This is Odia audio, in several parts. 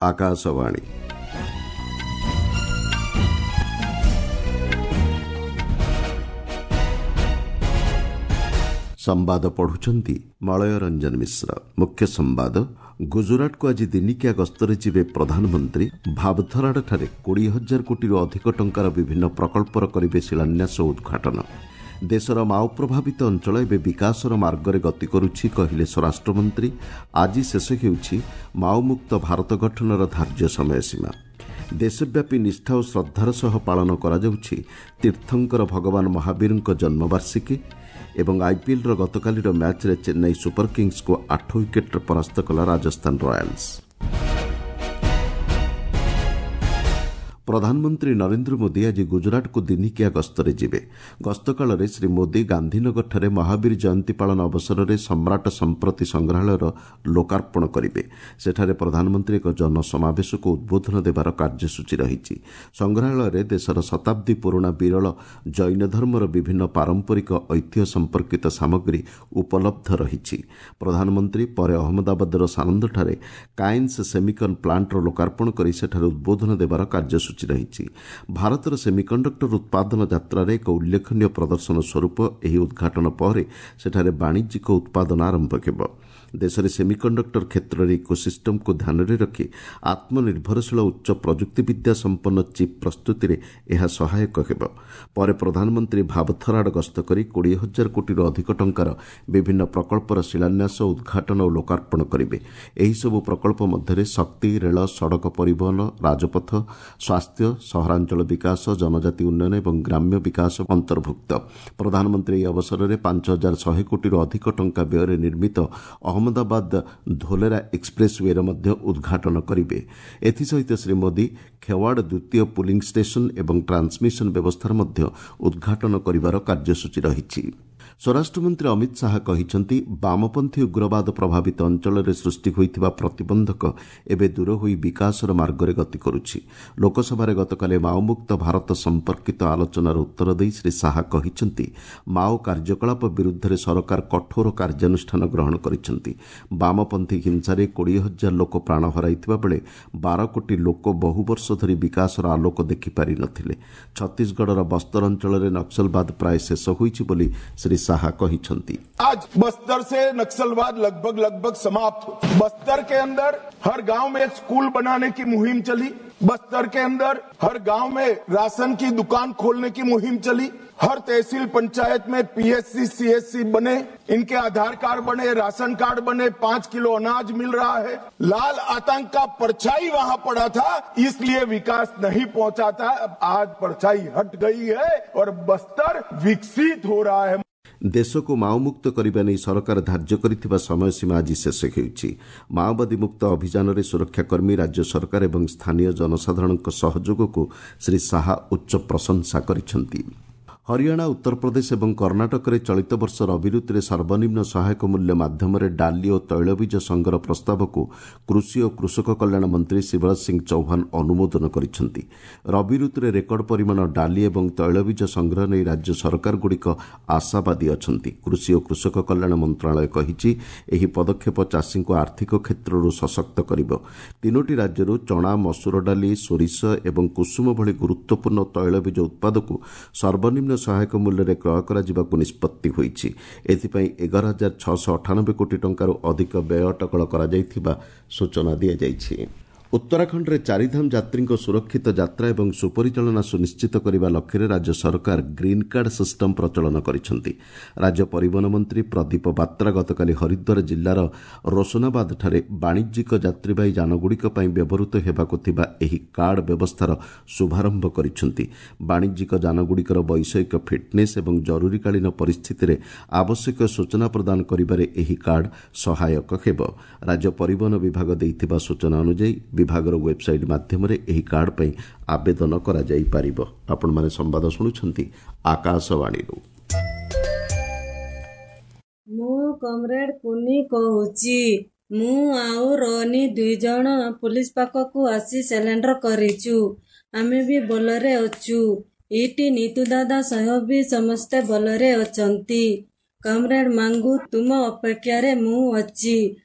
ଆକାଶବାଣୀ। ସମ୍ବାଦ ପଢୁଛନ୍ତି ମଳୟ ରଞ୍ଜନ ମିଶ୍ର। ମୁଖ୍ୟ ସମ୍ବାଦ। ଗୁଜରାଟକୁ ଆଜି ଦିନିକିଆ ଗସ୍ତରେ ଯିବେ ପ୍ରଧାନମନ୍ତ୍ରୀ। ଭାବଥରାଡ଼ଠାରେ 20,000 କୋଟିରୁ ଅଧିକ ଟଙ୍କାର ବିଭିନ୍ନ ପ୍ରକଳ୍ପର କରିବେ ଶିଳାନ୍ୟାସ ଓ ଉଦ୍ଘାଟନ। ଦେଶର ମାଓ ପ୍ରଭାବିତ ଅଞ୍ଚଳ ଏବେ ବିକାଶର ମାର୍ଗରେ ଗତି କରୁଛି, କହିଲେ ସ୍ୱରାଷ୍ଟ୍ରମନ୍ତ୍ରୀ। ଆଜି ଶେଷ ହେଉଛି ମାଓମୁକ୍ତ ଭାରତ ଗଠନର ଧାର୍ଯ୍ୟ ସମୟସୀମା। ଦେଶବ୍ୟାପୀ ନିଷ୍ଠା ଓ ଶ୍ରଦ୍ଧାର ସହ ପାଳନ କରାଯାଉଛି ତୀର୍ଥଙ୍କର ଭଗବାନ ମହାବୀରଙ୍କ ଜନ୍ମବାର୍ଷିକୀ। ଏବଂ ଆଇପିଏଲ୍ର ଗତକାଲିର ମ୍ୟାଚ୍ରେ ଚେନ୍ନାଇ ସୁପର କିଙ୍ଗସ୍କୁ 8 ୱିକେଟ୍ରେ ପରାସ୍ତ କଲା ରାଜସ୍ଥାନ ରୟାଲ୍ସ। ପ୍ରଧାନମନ୍ତ୍ରୀ ନରେନ୍ଦ୍ର ମୋଦି ଆଜି ଗୁଜରାଟକୁ ଦିନିକିଆ ଗସ୍ତରେ ଯିବେ। ଗସ୍ତକାଳରେ ଶ୍ରୀ ମୋଦି ଗାନ୍ଧୀନଗରଠାରେ ମହାବୀର ଜୟନ୍ତୀ ପାଳନ ଅବସରରେ ସମ୍ରାଟ ସମ୍ପ୍ରତି ସଂଗ୍ରହାଳୟର ଲୋକାର୍ପଣ କରିବେ। ସେଠାରେ ପ୍ରଧାନମନ୍ତ୍ରୀ ଏକ ଜନସମାବେଶକୁ ଉଦ୍ବୋଧନ ଦେବାର କାର୍ଯ୍ୟସୂଚୀ ରହିଛି। ସଂଗ୍ରହାଳୟରେ ଦେଶର ଶତାବ୍ଦୀ ପୁରୁଣା ବିରଳ ଜୈନ ଧର୍ମର ବିଭିନ୍ନ ପାରମ୍ପରିକ ଐତିହ୍ୟ ସମ୍ପର୍କିତ ସାମଗ୍ରୀ ଉପଲବ୍ଧ ରହିଛି। ପ୍ରଧାନମନ୍ତ୍ରୀ ପରେ ଅହମ୍ମଦାବାଦର ସାନନ୍ଦଠାରେ କାଇନ୍ସ ସେମିକନ୍ ପ୍ଲାଣ୍ଟର ଲୋକାର୍ପଣ କରି ସେଠାରେ ଉଦ୍ବୋଧନ ଦେବାର କାର୍ଯ୍ୟସୂଚୀ ରହିଛି। ଭାରତର ସେମିକଣ୍ଡକ୍ଟର ଉତ୍ପାଦନ ଯାତ୍ରାରେ ଏକ ଉଲ୍ଲେଖନୀୟ ପ୍ରଦର୍ଶନ ସ୍ୱରୂପ ଏହି ଉଦ୍ଘାଟନ ପରେ ସେଠାରେ ବାଣିଜ୍ୟିକ ଉତ୍ପାଦନ ଆରମ୍ଭ ହେବ। ଦେଶରେ ସେମିକଣ୍ଡକ୍ଟର କ୍ଷେତ୍ରରେ ଇକୋସିଷ୍ଟମକୁ ଧ୍ୟାନରେ ରଖି ଆତ୍ମନିର୍ଭରଶୀଳ ଉଚ୍ଚ ପ୍ରଯୁକ୍ତିବିଦ୍ୟା ସମ୍ପନ୍ନ ଚିପ୍ ପ୍ରସ୍ତୁତିରେ ଏହା ସହାୟକ ହେବ। ପରେ ପ୍ରଧାନମନ୍ତ୍ରୀ ଭାବଥରାଡ଼ ଗସ୍ତ କରି 20,000 କୋଟିରୁ ଅଧିକ ଟଙ୍କାର ବିଭିନ୍ନ ପ୍ରକଳ୍ପର ଶିଳାନ୍ୟାସ, ଉଦ୍ଘାଟନ ଓ ଲୋକାର୍ପଣ କରିବେ। ଏହିସବୁ ପ୍ରକଳ୍ପ ମଧ୍ୟରେ ଶକ୍ତି, ରେଳ, ସଡ଼କ ପରିବହନ, ରାଜପଥ, ସ୍ୱାସ୍ଥ୍ୟ, ସହରାଞ୍ଚଳ ବିକାଶ, ଜନଜାତି ଉନ୍ନୟନ ଏବଂ ଗ୍ରାମ୍ୟ ବିକାଶ ଅନ୍ତର୍ଭୁକ୍ତ। ପ୍ରଧାନମନ୍ତ୍ରୀ ଏହି ଅବସରରେ 5,100 କୋଟିରୁ ଅଧିକ ଟଙ୍କା ବ୍ୟୟରେ ନିର୍ମିତ ଅହମ୍ମଦାବାଦ ଧୋଲେରା ଏକ୍ସପ୍ରେସ୍ ୱେର ମଧ୍ୟ ଉଦ୍ଘାଟନ କରିବେ। ଏଥିସହିତ ଶ୍ରୀ ମୋଦି ଖେୱାଡ଼ ଦ୍ୱିତୀୟ ପୁଲିଂ ଷ୍ଟେସନ ଏବଂ ଟ୍ରାନ୍ସମିଶନ ବ୍ୟବସ୍ଥାର ମଧ୍ୟ ଉଦ୍ଘାଟନ କରିବାର କାର୍ଯ୍ୟସୂଚୀ ରହିଛି। ସ୍ୱରାଷ୍ଟ୍ରମନ୍ତ୍ରୀ ଅମିତ ଶାହା କହିଛନ୍ତି, ବାମପନ୍ଥୀ ଉଗ୍ରବାଦ ପ୍ରଭାବିତ ଅଞ୍ଚଳରେ ସୃଷ୍ଟି ହୋଇଥିବା ପ୍ରତିବନ୍ଧକ ଏବେ ଦୂର ହୋଇ ବିକାଶର ମାର୍ଗରେ ଗତି କରୁଛି। ଲୋକସଭାରେ ଗତକାଲି ମାଓମୁକ୍ତ ଭାରତ ସମ୍ପର୍କିତ ଆଲୋଚନାର ଉତ୍ତର ଦେଇ ଶ୍ରୀ ଶାହା କହିଛନ୍ତି, ମାଓ କାର୍ଯ୍ୟକଳାପ ବିରୁଦ୍ଧରେ ସରକାର କଠୋର କାର୍ଯ୍ୟାନୁଷ୍ଠାନ ଗ୍ରହଣ କରିଛନ୍ତି। ବାମପନ୍ଥୀ ହିଂସାରେ 20,000 ଲୋକ ପ୍ରାଣ ହରାଇଥିବା ବେଳେ 12 କୋଟି ଲୋକ ବହୁ ବର୍ଷ ଧରି ବିକାଶର ଆଲୋକ ଦେଖିପାରି ନଥିଲେ। ଛତିଶଗଡ଼ର ବସ୍ତର ଅଞ୍ଚଳରେ ନକ୍ସଲବାଦ ପ୍ରାୟ ଶେଷ ହୋଇଛି ବୋଲି ଶ୍ରୀ ଶାହା କହିଛନ୍ତି। आज बस्तर से नक्सलवाद लगभग लगभग समाप्त। बस्तर के अंदर हर गांव में एक स्कूल बनाने की मुहिम चली। बस्तर के अंदर हर गांव में राशन की दुकान खोलने की मुहिम चली। हर तहसील पंचायत में पीएससी सीएससी बने, इनके आधार कार्ड बने, राशन कार्ड बने, 5 किलो अनाज मिल रहा है। लाल आतंक का परछाई वहां पड़ा था, इसलिए विकास नहीं पहुंचा था। आज परछाई हट गई है और बस्तर विकसित हो रहा है। ଦେଶକୁ ମାଓମୁକ୍ତ କରିବା ନେଇ ସରକାର ଧାର୍ଯ୍ୟ କରିଥିବା ସମୟସୀମା ଆଜି ଶେଷ ହେଉଛି। ମାଓବାଦୀ ମୁକ୍ତ ଅଭିଯାନରେ ସୁରକ୍ଷାକର୍ମୀ, ରାଜ୍ୟ ସରକାର ଏବଂ ସ୍ଥାନୀୟ ଜନସାଧାରଣଙ୍କ ସହଯୋଗକୁ ଶ୍ରୀ ଶାହା ଉଚ୍ଚ ପ୍ରଶଂସା କରିଛନ୍ତି। ହରିୟାଣା, ଉତ୍ତରପ୍ରଦେଶ ଏବଂ କର୍ଣ୍ଣାଟକରେ ଚଳିତ ବର୍ଷ ରବି ଋତୁରେ ସର୍ବନିମ୍ନ ସହାୟକ ମୂଲ୍ୟ ମାଧ୍ୟମରେ ଡାଲି ଓ ତୈଳବୀଜ ସଂଗ୍ରହ ପ୍ରସ୍ତାବକୁ କୃଷି ଓ କୃଷକ କଲ୍ୟାଣ ମନ୍ତ୍ରୀ ଶିବରାଜ ସିଂ ଚୌହାନ ଅନୁମୋଦନ କରିଛନ୍ତି। ରବି ଋତୁରେ ରେକର୍ଡ ପରିମାଣ ଡାଲି ଏବଂ ତୈଳବୀଜ ସଂଗ୍ରହ ନେଇ ରାଜ୍ୟ ସରକାରଗୁଡ଼ିକ ଆଶାବାଦୀ ଅଛନ୍ତି। କୃଷି ଓ କୃଷକ କଲ୍ୟାଣ ମନ୍ତ୍ରଣାଳୟ କହିଛି, ଏହି ପଦକ୍ଷେପ ଚାଷୀଙ୍କୁ ଆର୍ଥିକ କ୍ଷେତ୍ରରୁ ସଶକ୍ତ କରିବ। ତିନୋଟି ରାଜ୍ୟରୁ ଚଣା, ମସୁର ଡାଲି, ସୋରିଷ ଏବଂ କୁସୁମ ଭଳି ଗୁରୁତ୍ୱପୂର୍ଣ୍ଣ ତୈଳବୀଜ ଉତ୍ପାଦକୁ ସର୍ବନିମ୍ନ ସହାୟକ ମୂଲ୍ୟରେ କ୍ରୟ କରାଯିବାକୁ ନିଷ୍ପତ୍ତି ହୋଇଛି। ଏଥିପାଇଁ 11,698 କୋଟି ଟଙ୍କାରୁ ଅଧିକ ବ୍ୟୟ ଅଟକଳ କରାଯାଇଥିବା ସୂଚନା ଦିଆଯାଇଛି। ଉତ୍ତରାଖଣ୍ଡରେ ଚାରିଧାମ ଯାତ୍ରୀଙ୍କ ସୁରକ୍ଷିତ ଯାତ୍ରା ଏବଂ ସୁପରିଚାଳନା ସୁନିଶ୍ଚିତ କରିବା ଲକ୍ଷ୍ୟରେ ରାଜ୍ୟ ସରକାର ଗ୍ରୀନ୍ କାର୍ଡ ସିଷ୍ଟମ ପ୍ରଚଳନ କରିଛନ୍ତି। ରାଜ୍ୟ ପରିବହନ ମନ୍ତ୍ରୀ ପ୍ରଦୀପ ବାତ୍ରା ଗତକାଲି ହରିଦ୍ୱାର ଜିଲ୍ଲାର ରୋଶନାବାଦଠାରେ ବାଣିଜ୍ୟିକ ଯାତ୍ରୀବାହୀ ଯାନଗୁଡ଼ିକ ପାଇଁ ବ୍ୟବହୃତ ହେବାକୁ ଥିବା ଏହି କାର୍ଡ ବ୍ୟବସ୍ଥାର ଶୁଭାରମ୍ଭ କରିଛନ୍ତି। ବାଣିଜ୍ୟିକ ଯାନଗୁଡ଼ିକର ବୈଷୟିକ ଫିଟ୍ନେସ୍ ଏବଂ ଜରୁରୀକାଳୀନ ପରିସ୍ଥିତିରେ ଆବଶ୍ୟକ ସୂଚନା ପ୍ରଦାନ କରିବାରେ ଏହି କାର୍ଡ ସହାୟକ ହେବ। ରାଜ୍ୟ ପରିବହନ ବିଭାଗ ଦେଇଥିବା ସୂଚନା ଅନୁଯାୟୀ ବିଭାଗର ୱେବ୍ସାଇଟ୍ ମାଧ୍ୟମରେ ଏହି କାର୍ଡ ପାଇଁ ଆବେଦନ କରାଯାଇପାରିବ। ଆପଣମାନେ ସମ୍ବାଦ ଶୁଣୁଛନ୍ତି ଆକାଶବାଣୀରୁ। ମୁଁ କମ୍ରେଡ୍ କୁନି କହୁଛି। ମୁଁ ଆଉ ରୋନି 2 ଜଣ ପୁଲିସ ପାଖକୁ ଆସି ସରେଣ୍ଡର କରିଛୁ। ଆମେ ବି ଭଲରେ ଅଛୁ। ଏଇଠି ନିତୁ ଦାଦା ସହ ବି ସମସ୍ତେ ଭଲରେ ଅଛନ୍ତି। କମ୍ରେଡ୍ ମାଙ୍ଗୁ, ତୁମ ଅପେକ୍ଷାରେ ମୁଁ ଅଛି।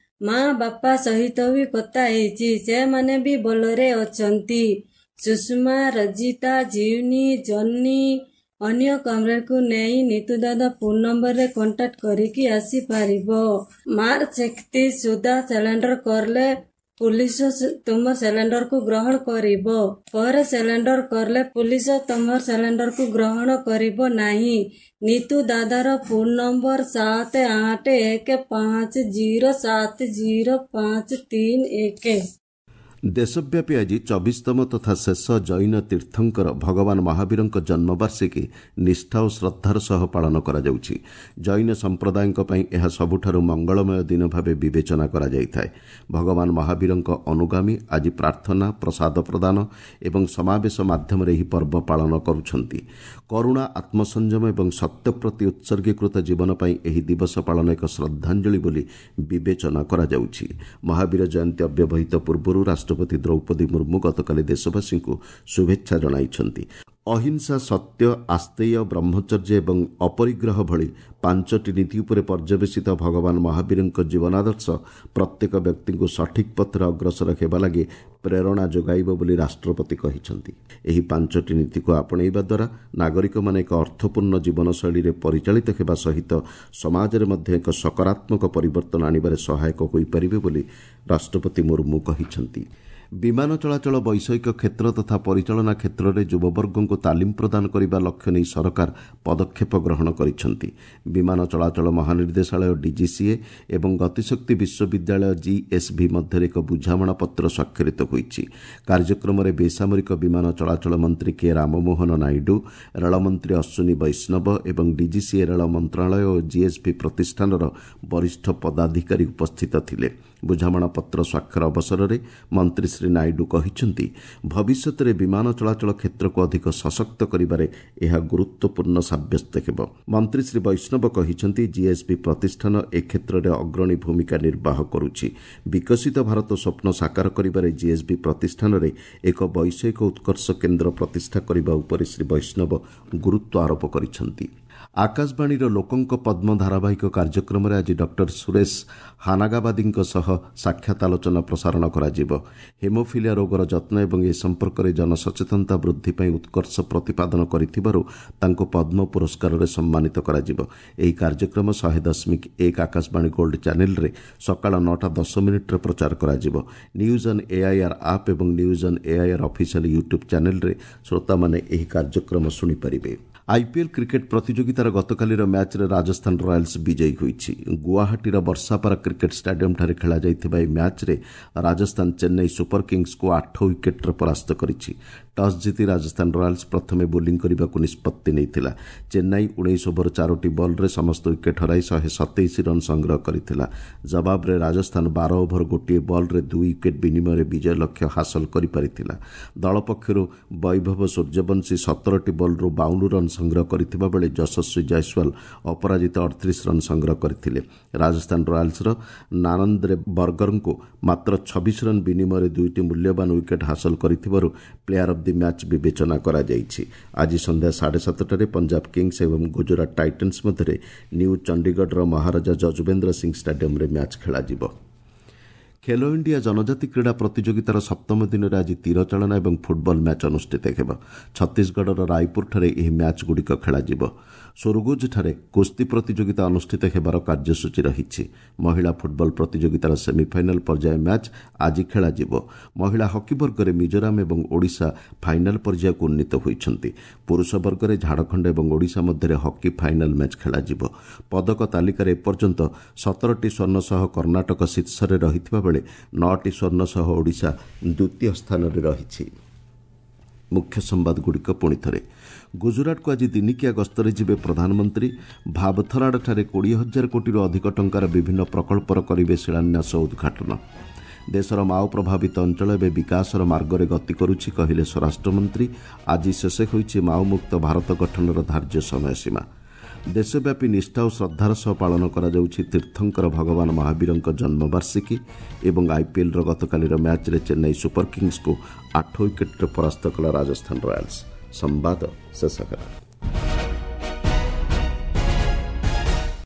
ମା ବାପା ସହିତ ବି କଥା ହେଇଛି, ସେମାନେ ବି ଭଲରେ ଅଛନ୍ତି। ସୁଷମା, ରଜିତା, ଜିଉନି, ଜନି ଅନ୍ୟ କମ୍ରେଡ଼କୁ ନେଇ ନିତୁ ଦାଦା ଫୋନ୍ ନମ୍ବରରେ କଣ୍ଟାକ୍ଟ କରିକି ଆସିପାରିବ। ମାର୍ଚ୍ଚ 31 ସୁଦ୍ଧା ସିଲିଣ୍ଡର କଲେ ପୁଲିସ ତୁମ ସିଲିଣ୍ଡରକୁ ଗ୍ରହଣ କରିବ। ପରେ ସିଲିଣ୍ଡର କଲେ ପୁଲିସ ତୁମ ସିଲିଣ୍ଡରକୁ ଗ୍ରହଣ କରିବ ନାହିଁ। ନିତୁ ଦାଦାର ଫୋନ୍ ନମ୍ବର 7 8 1 5 0 7 0 5 3 1। ଦେଶବ୍ୟାପୀ ଆଜି 24ତମ ତଥା ଶେଷ ଜୈନ ତୀର୍ଥଙ୍କର ଭଗବାନ ମହାବୀରଙ୍କ ଜନ୍ମବାର୍ଷିକୀ ନିଷ୍ଠା ଓ ଶ୍ରଦ୍ଧାର ସହ ପାଳନ କରାଯାଉଛି। ଜୈନ ସମ୍ପ୍ରଦାୟଙ୍କ ପାଇଁ ଏହା ସବୁଠାରୁ ମଙ୍ଗଳମୟ ଦିନ ଭାବେ ବିବେଚନା କରାଯାଇଥାଏ। ଭଗବାନ ମହାବୀରଙ୍କ ଅନୁଗାମୀ ଆଜି ପ୍ରାର୍ଥନା, ପ୍ରସାଦ ପ୍ରଦାନ ଏବଂ ସମାବେଶ ମାଧ୍ୟମରେ ଏହି ପର୍ବ ପାଳନ କରୁଛନ୍ତି। କରୁଣା, ଆତ୍ମସଂଯମ ଏବଂ ସତ୍ୟ ପ୍ରତି ଉତ୍ସର୍ଗୀକୃତ ଜୀବନ ପାଇଁ ଏହି ଦିବସ ପାଳନ ଏକ ଶ୍ରଦ୍ଧାଞ୍ଜଳି ବୋଲି ବିବେଚନା କରାଯାଉଛି। ମହାବୀର ଜୟନ୍ତୀ ଅବ୍ୟବହିତ ପୂର୍ବରୁ ରାଷ୍ଟ୍ରପତି ଦ୍ରୌପଦୀ ମୁର୍ମୁ ଗତକାଲି ଦେଶବାସୀଙ୍କୁ ଶୁଭେଚ୍ଛା ଜଣାଇଛନ୍ତି। ଅହିଂସା, ସତ୍ୟ, ଆସ୍ତେୟ, ବ୍ରହ୍ମଚର୍ଯ୍ୟ ଏବଂ ଅପରିଗ୍ରହ ଭଳି 5ଟି ନୀତି ଉପରେ ପର୍ଯ୍ୟବେସିତ ଭଗବାନ ମହାବୀରଙ୍କ ଜୀବନାଦର୍ଶ ପ୍ରତ୍ୟେକ ବ୍ୟକ୍ତିଙ୍କୁ ସଠିକ୍ ପଥରେ ଅଗ୍ରସର ହେବା ଲାଗି ପ୍ରେରଣା ଯୋଗାଇବ ବୋଲି ରାଷ୍ଟ୍ରପତି କହିଛନ୍ତି। ଏହି 5ଟି ନୀତିକୁ ଆପଣେଇବା ଦ୍ୱାରା ନାଗରିକମାନେ ଏକ ଅର୍ଥପୂର୍ଣ୍ଣ ଜୀବନଶୈଳୀରେ ପରିଚାଳିତ ହେବା ସହିତ ସମାଜରେ ମଧ୍ୟ ଏକ ସକାରାତ୍ମକ ପରିବର୍ତ୍ତନ ଆଣିବାରେ ସହାୟକ ହୋଇପାରିବେ ବୋଲି ରାଷ୍ଟ୍ରପତି ମୁର୍ମୁ କହିଛନ୍ତି। ବିମାନ ଚଳାଚଳ ବୈଷୟିକ କ୍ଷେତ୍ର ତଥା ପରିଚାଳନା କ୍ଷେତ୍ରରେ ଯୁବବର୍ଗଙ୍କୁ ତାଲିମ ପ୍ରଦାନ କରିବା ଲକ୍ଷ୍ୟ ନେଇ ସରକାର ପଦକ୍ଷେପ ଗ୍ରହଣ କରିଛନ୍ତି। ବିମାନ ଚଳାଚଳ ମହାନିର୍ଦ୍ଦେଶାଳୟ ଡିଜିସିଏ ଏବଂ ଗତିଶକ୍ତି ବିଶ୍ୱବିଦ୍ୟାଳୟ ଜିଏସ୍ଭି ମଧ୍ୟରେ ଏକ ବୁଝାମଣାପତ୍ର ସ୍ୱାକ୍ଷରିତ ହୋଇଛି। କାର୍ଯ୍ୟକ୍ରମରେ ବେସାମରିକ ବିମାନ ଚଳାଚଳ ମନ୍ତ୍ରୀ କେ ରାମମୋହନ ନାଇଡୁ, ରେଳମନ୍ତ୍ରୀ ଅଶ୍ୱିନୀ ବୈଷ୍ଣବ ଏବଂ ଡିଜିସିଏ, ରେଳ ମନ୍ତ୍ରଣାଳୟ ଓ ଜିଏସ୍ଭି ପ୍ରତିଷ୍ଠାନର ବରିଷ୍ଠ ପଦାଧିକାରୀ ଉପସ୍ଥିତ ଥିଲେ। ବୁଝାମଣାପତ୍ର ସ୍ୱାକ୍ଷର ଅବସରରେ ମନ୍ତ୍ରୀ ଶ୍ରୀ ନାଇଡୁ କହିଛନ୍ତି, ଭବିଷ୍ୟତରେ ବିମାନ ଚଳାଚଳ କ୍ଷେତ୍ରକୁ ଅଧିକ ସଶକ୍ତ କରିବାରେ ଏହା ଗୁରୁତ୍ୱପୂର୍ଣ୍ଣ ସାବ୍ୟସ୍ତ ହେବ। ମନ୍ତ୍ରୀ ଶ୍ରୀ ବୈଷ୍ଣବ କହିଛନ୍ତି, ଜିଏସ୍ବି ପ୍ରତିଷ୍ଠାନ ଏ କ୍ଷେତ୍ରରେ ଅଗ୍ରଣୀ ଭୂମିକା ନିର୍ବାହ କରୁଛି। ବିକଶିତ ଭାରତ ସ୍ୱପ୍ନ ସାକାର କରିବାରେ ଜିଏସ୍ବି ପ୍ରତିଷ୍ଠାନରେ ଏକ ବୈଷୟିକ ଉତ୍କର୍ଷ କେନ୍ଦ୍ର ପ୍ରତିଷ୍ଠା କରିବା ଉପରେ ଶ୍ରୀ ବୈଷ୍ଣବ ଗୁରୁତ୍ୱ ଆରୋପ କରିଛନ୍ତି। ଆକାଶବାଣୀର ଲୋକଙ୍କ ପଦ୍ମ ଧାରାବାହିକ କାର୍ଯ୍ୟକ୍ରମରେ ଆଜି ଡକ୍ଟର ସୁରେଶ ହାନାଗାବାଦୀଙ୍କ ସହ ସାକ୍ଷାତ ଆଲୋଚନା ପ୍ରସାରଣ କରାଯିବ। ହେମୋଫିଲିଆ ରୋଗର ଯତ୍ନ ଏବଂ ଏ ସମ୍ପର୍କରେ ଜନସଚେତନତା ବୃଦ୍ଧି ପାଇଁ ଉତ୍କର୍ଷ ପ୍ରତିପାଦନ କରିଥିବାରୁ ତାଙ୍କୁ ପଦ୍ମ ପୁରସ୍କାରରେ ସମ୍ମାନିତ କରାଯିବ। ଏହି କାର୍ଯ୍ୟକ୍ରମ 100.1 ଆକାଶବାଣୀ ଗୋଲ୍ଡ ଚ୍ୟାନେଲରେ ସକାଳ 9ଟା 10 ମିନିଟ୍ରେ ପ୍ରଚାର କରାଯିବ। ନ୍ୟୁଜ୍ ଅନ୍ ଏଆଇଆର୍ ଆପ୍ ଏବଂ news on AIR official YouTube ଚ୍ୟାନେଲରେ ଶ୍ରୋତାମାନେ ଏହି କାର୍ଯ୍ୟକ୍ରମ ଶୁଣିପାରିବେ। ଆଇପିଏଲ୍ କ୍ରିକେଟ୍ ପ୍ରତିଯୋଗିତାର ଗତକାଲିର ମ୍ୟାଚ୍ରେ ରାଜସ୍ଥାନ ରୟାଲ୍ସ ବିଜୟୀ ହୋଇଛି। ଗୁଆହାଟୀର ବର୍ଷାପାରା କ୍ରିକେଟ୍ ଷ୍ଟାଡିୟମ୍ଠାରେ ଖେଳାଯାଇଥିବା ଏହି ମ୍ୟାଚ୍ରେ ରାଜସ୍ଥାନ ଚେନ୍ନାଇ ସୁପର କିଙ୍ଗସ୍କୁ 8 ୱିକେଟ୍ରେ ପରାସ୍ତ କରିଛି। ଟସ୍ ଜିତି ରାଜସ୍ଥାନ ରୟାଲ୍ସ ପ୍ରଥମେ ବୋଲିଂ କରିବାକୁ ନିଷ୍ପତ୍ତି ନେଇଥିଲା। ଚେନ୍ନାଇ 19 ଓଭର 4ଟି ବଲ୍ରେ ସମସ୍ତ ୱିକେଟ୍ ହରାଇ 127 ରନ୍ ସଂଗ୍ରହ କରିଥିଲା। ଜବାବରେ ରାଜସ୍ଥାନ 12 ଓଭର 1 ବଲ୍ରେ 2 ୱିକେଟ୍ ବିନିମୟରେ ବିଜୟ ଲକ୍ଷ୍ୟ ହାସଲ କରିପାରିଥିଲା। ଦଳ ପକ୍ଷରୁ ବୈଭବ ସୂର୍ଯ୍ୟବଂଶୀ 17ଟି ବଲ୍ରୁ 52 ରନ୍ ସଂଗ୍ରହ କରିଥିବା ବେଳେ ଯଶସ୍ୱୀ ଜୟସ୍ୱାଲ ଅପରାଜିତ 38 ରନ୍ ସଂଗ୍ରହ କରିଥିଲେ। ରାଜସ୍ଥାନ ରୟାଲ୍ସର ନାନନ୍ଦ୍ରେ ବର୍ଗରଙ୍କୁ ମାତ୍ର 26 ରନ୍ ବିନିମୟରେ 2ଟି ମୂଲ୍ୟବାନ ୱିକେଟ୍ ହାସଲ କରିଥିବାରୁ ପ୍ଲେୟାର ଅଫ୍ the match ବିବେଚନା କରାଯାଇଛି। ଆଜି ସନ୍ଧ୍ୟା 7:30ରେ ପଞ୍ଜାବ କିଙ୍ଗସ୍ ଏବଂ ଗୁଜରାଟ ଟାଇଟନ୍ସ ମଧ୍ୟରେ ନ୍ୟୁ ଚଣ୍ଡିଗଡ଼ର ମହାରାଜା ଯଜୁବେନ୍ଦ୍ର ସିଂ ଷ୍ଟାଡିୟମ୍ରେ ମ୍ୟାଚ୍ ଖେଳାଯିବ। ଖେଲୋ ଇଣ୍ଡିଆ ଜନଜାତି କ୍ରୀଡ଼ା ପ୍ରତିଯୋଗିତାର ସପ୍ତମ ଦିନରେ ଆଜି ତୀରଚାଳନା ଏବଂ ଫୁଟବଲ ମ୍ୟାଚ୍ ଅନୁଷ୍ଠିତ ହେବ। ଛତିଶଗଡ଼ର ରାୟପୁରଠାରେ ଏହି ମ୍ୟାଚ୍ଗୁଡ଼ିକ ଖେଳାଯିବ। ସୁରଗୁଜଠାରେ କୁସ୍ତି ପ୍ରତିଯୋଗିତା ଅନୁଷ୍ଠିତ ହେବାର କାର୍ଯ୍ୟସୂଚୀ ରହିଛି। ମହିଳା ଫୁଟବଲ ପ୍ରତିଯୋଗିତାର ସେମିଫାଇନାଲ୍ ପର୍ଯ୍ୟାୟ ମ୍ୟାଚ୍ ଆଜି ଖେଳାଯିବ। ମହିଳା ହକି ବର୍ଗରେ ମିଜୋରାମ ଏବଂ ଓଡ଼ିଶା ଫାଇନାଲ୍ ପର୍ଯ୍ୟାୟକୁ ଉନ୍ନୀତ ହୋଇଛନ୍ତି। ପୁରୁଷ ବର୍ଗରେ ଝାଡ଼ଖଣ୍ଡ ଏବଂ ଓଡ଼ିଶା ମଧ୍ୟରେ ହକି ଫାଇନାଲ୍ ମ୍ୟାଚ୍ ଖେଳାଯିବ। ପଦକ ତାଲିକାରେ ଏପର୍ଯ୍ୟନ୍ତ 17ଟି ସ୍ୱର୍ଣ୍ଣ ସହ କର୍ଣ୍ଣାଟକ ଶୀର୍ଷରେ ରହିଥିବା ବେଳେ 9ଟି ସ୍ୱର୍ଣ୍ଣ ସହ ଓଡ଼ିଶା ଦ୍ୱିତୀୟ ସ୍ଥାନରେ ରହିଛି। ମୁଖ୍ୟ ସମ୍ବାଦଗୁଡ଼ିକ ପୁଣି ଥରେ। ଗୁଜରାଟକୁ ଆଜି ଦିନିକିଆ ଗସ୍ତରେ ଯିବେ ପ୍ରଧାନମନ୍ତ୍ରୀ। ଭାବଥରାଡ଼ଠାରେ 20,000 କୋଟିରୁ ଅଧିକ ଟଙ୍କାର ବିଭିନ୍ନ ପ୍ରକଳ୍ପର କରିବେ ଶିଳାନ୍ୟାସ, ଉଦ୍ଘାଟନ। ଦେଶର ମାଓ ପ୍ରଭାବିତ ଅଞ୍ଚଳ ଏବେ ବିକାଶର ମାର୍ଗରେ ଗତି କରୁଛି, କହିଲେ ସ୍ୱରାଷ୍ଟ୍ରମନ୍ତ୍ରୀ। ଆଜି ଶେଷ ହୋଇଛି ମାଓମୁକ୍ତ ଭାରତ ଗଠନର ଧାର୍ଯ୍ୟ ସମୟସୀମା। ଦେଶବ୍ୟାପୀ ନିଷ୍ଠା ଓ ଶ୍ରଦ୍ଧାର ସହ ପାଳନ କରାଯାଉଛି ତୀର୍ଥଙ୍କର ଭଗବାନ ମହାବୀରଙ୍କ ଜନ୍ମବାର୍ଷିକୀ। ଏବଂ ଆଇପିଏଲ୍ର ଗତକାଲିର ମ୍ୟାଚ୍ରେ ଚେନ୍ନାଇ ସୁପର କିଙ୍ଗସ୍କୁ 8 ୱିକେଟ୍ରେ ପରାସ୍ତ କଲା ରାଜସ୍ଥାନ ରୟାଲ୍ସ। ସମ୍ବାଦ ଶେଷ ହେଲା।